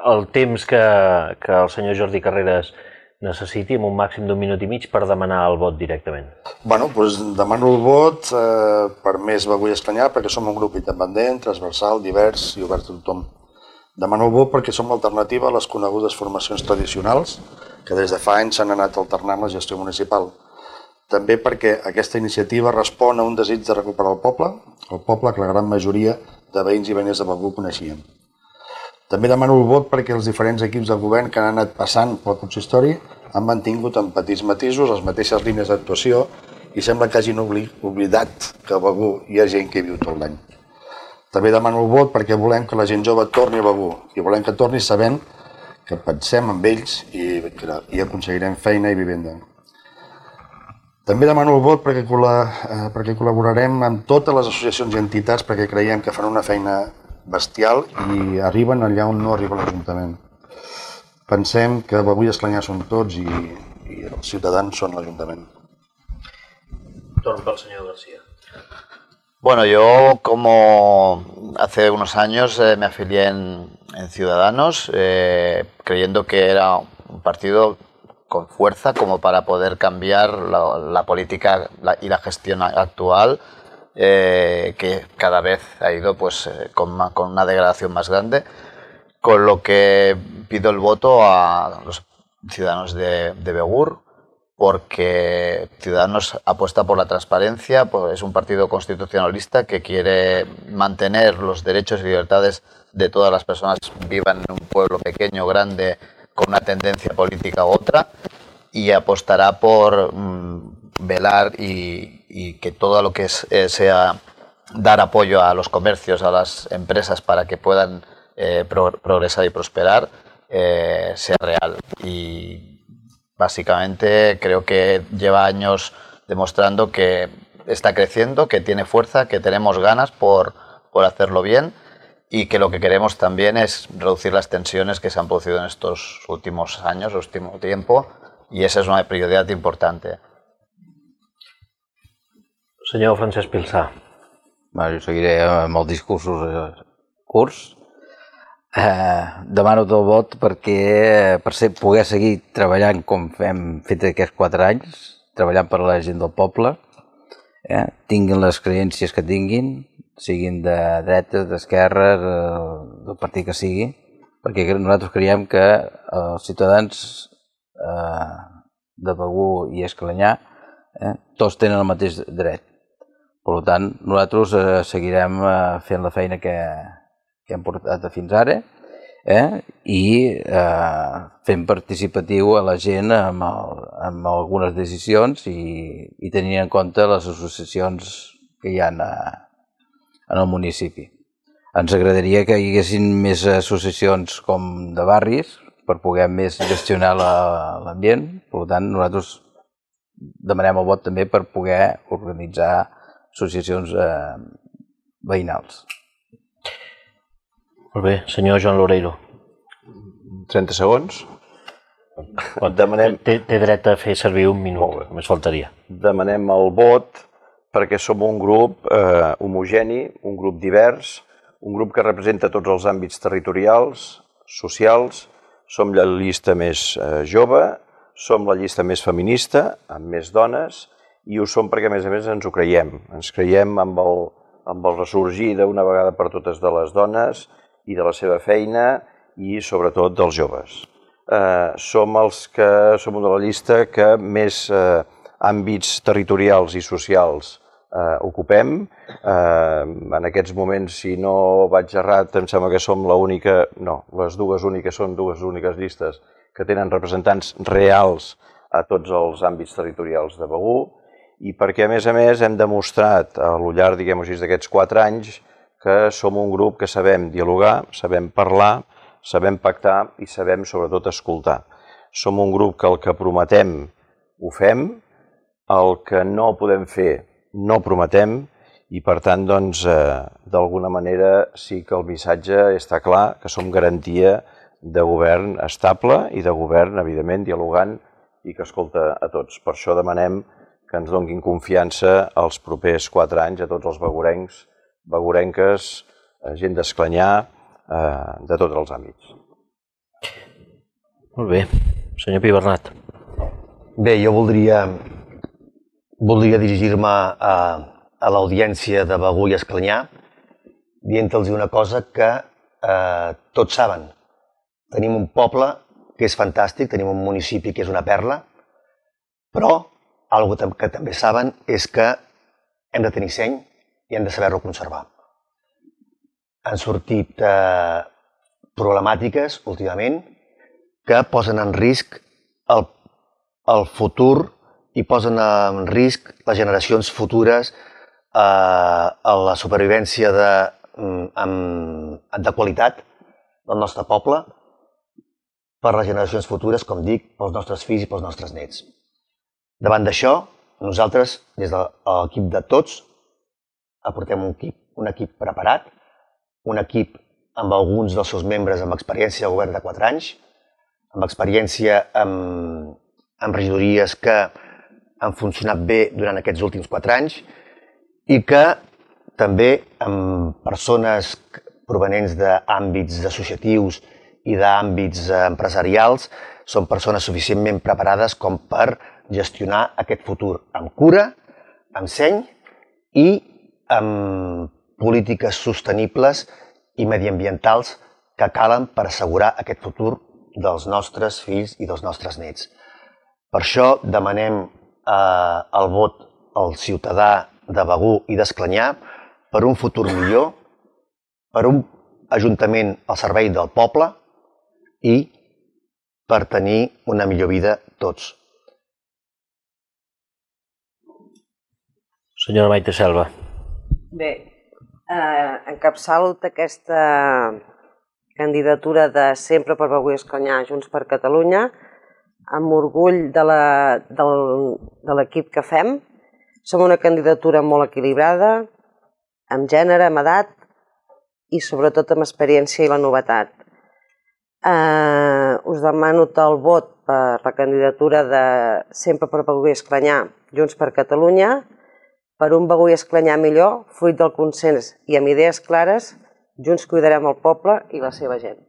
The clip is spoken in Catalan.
el temps que el senyor Jordi Carreras necessiti, amb un màxim d'1 minut i mig, per demanar el vot directament. Doncs demano el vot per Més Begur i Esclanyà, perquè som un grup independent, transversal, divers i obert a tothom. Demano el vot perquè som l'alternativa a les conegudes formacions tradicionals que des de fa anys s'han anat alternant la gestió municipal. També perquè aquesta iniciativa respon a un desig de recuperar el poble que la gran majoria de veïns i veïnes de Begur coneixien. També demano el vot perquè els diferents equips de govern que han anat passant pel consistori han mantingut en petits matisos les mateixes línies d'actuació i sembla que hagin oblidat que a Begur hi ha gent que hi viu tot l'any. També demano el vot perquè volem que la gent jove torni a Begur i volem que torni sabent que pensem en ells i aconseguirem feina i vivenda. També demano el vot perquè col·laborarem amb totes les associacions i entitats perquè creiem que fan una feina bestial i arriben allà on no arriba l'Ajuntament. Pensem que Begur i Esclanyà són tots i els ciutadans són l'Ajuntament. Torn pel senyor García. Bueno, yo como hace unos años me afilié en Ciudadanos, creyendo que era un partido con fuerza como para poder cambiar la política y la gestión actual, que cada vez ha ido con una degradación más grande, con lo que pido el voto a los ciudadanos de Begur, porque Ciudadanos apuesta por la transparencia, pues es un partido constitucionalista que quiere mantener los derechos y libertades de todas las personas, vivan en un pueblo pequeño o grande, con una tendencia política u otra, y apostará por velar y que todo lo que sea dar apoyo a los comercios, a las empresas para que puedan progresar y prosperar, sea real. Y básicamente creo que lleva años demostrando que está creciendo, que tiene fuerza, que tenemos ganas por hacerlo bien y que lo que queremos también es reducir las tensiones que se han producido en estos últimos años, último tiempo, y esa es una prioridad importante. Senyor Francesc Pilsà. Jo seguiré amb els discursos curts. Demano el vot perquè per poder seguir treballant com hem fet aquests 4 anys, treballant per la gent del poble, tinguin les creències que tinguin, siguin de dretes, d'esquerres, del partit que sigui, perquè nosaltres creiem que els ciutadans de Begur i Esclanyà tots tenen el mateix dret. Per tant, nosaltres seguirem fent la feina que hem portat fins ara i fent participatiu a la gent amb algunes decisions i tenint en compte les associacions que hi ha en el municipi. Ens agradaria que hi haguessin més associacions com de barris per poder més gestionar l'ambient. Per tant, nosaltres demanem el vot també per poder organitzar associacions veïnals. Molt bé, senyor Joan Loureiro. 30 segons. Té dret a fer servir 1 minut, només faltaria. Demanem el vot perquè som un grup homogeni, un grup divers, un grup que representa tots els àmbits territorials, socials, som la llista més jove, som la llista més feminista, amb més dones, i ho som perquè, a més, ens ho creiem. Ens creiem amb el ressorgir d'una vegada per totes de les dones i de la seva feina i, sobretot, dels joves. Som una de la llista que més àmbits territorials i socials ocupem. En aquests moments, si no vaig errat, em sembla que som l'única, no, les dues úniques són dues úniques llistes que tenen representants reals a tots els àmbits territorials de Begur i perquè, a més, hem demostrat al llarg, diguem-ho així, d'aquests 4 anys que som un grup que sabem dialogar, sabem parlar, sabem pactar i sabem, sobretot, escoltar. Som un grup que el que prometem ho fem, el que no podem fer no prometem i, per tant, doncs, d'alguna manera sí que el missatge està clar, que som garantia de govern estable i de govern, evidentment, dialogant i que escolta a tots. Per això demanem que ens donin confiança els propers 4 anys a tots els begurencs, begurenques, gent d'Esclanyà, de tots els àmbits. Molt bé. Senyor Pi Bernat. Bé, jo voldria dirigir-me a l'audiència de Begur i Esclanyà dient-los una cosa que tots saben. Tenim un poble que és fantàstic, tenim un municipi que és una perla, però algo que també saben és que hem de tenir seny i hem de saber-lo conservar. Han sortit problemàtiques últimament que posen en risc el futur i posen en risc les generacions futures a la supervivència de qualitat del nostre poble per les generacions futures, com dic, pels nostres fills i pels nostres nets. Davant d'això, nosaltres, des de l'equip de tots, aportem un equip preparat, un equip amb alguns dels seus membres amb experiència de govern de 4 anys, amb experiència amb regidories que han funcionat bé durant aquests últims 4 anys i que també amb persones provenents d'àmbits associatius i d'àmbits empresarials són persones suficientment preparades com per gestionar aquest futur amb cura, amb seny i amb polítiques sostenibles i mediambientals que calen per assegurar aquest futur dels nostres fills i dels nostres nets. Per això demanem el vot al ciutadà de Begur i d'Esclanyà per un futur millor, per un ajuntament al servei del poble i per tenir una millor vida tots. Senyora Maite Selva. Bé, encapçalo aquesta candidatura de Sempre per Begur i Esclanyà, Junts per Catalunya, amb orgull de l'equip que fem. Som una candidatura molt equilibrada, amb gènere, amb edat i sobretot amb experiència i la novetat. Us demano el vot per la candidatura de Sempre per Begur i Esclanyà, Junts per Catalunya, per un Begur i Esclanyà millor, fruit del consens i amb idees clares, junts cuidarem el poble i la seva gent.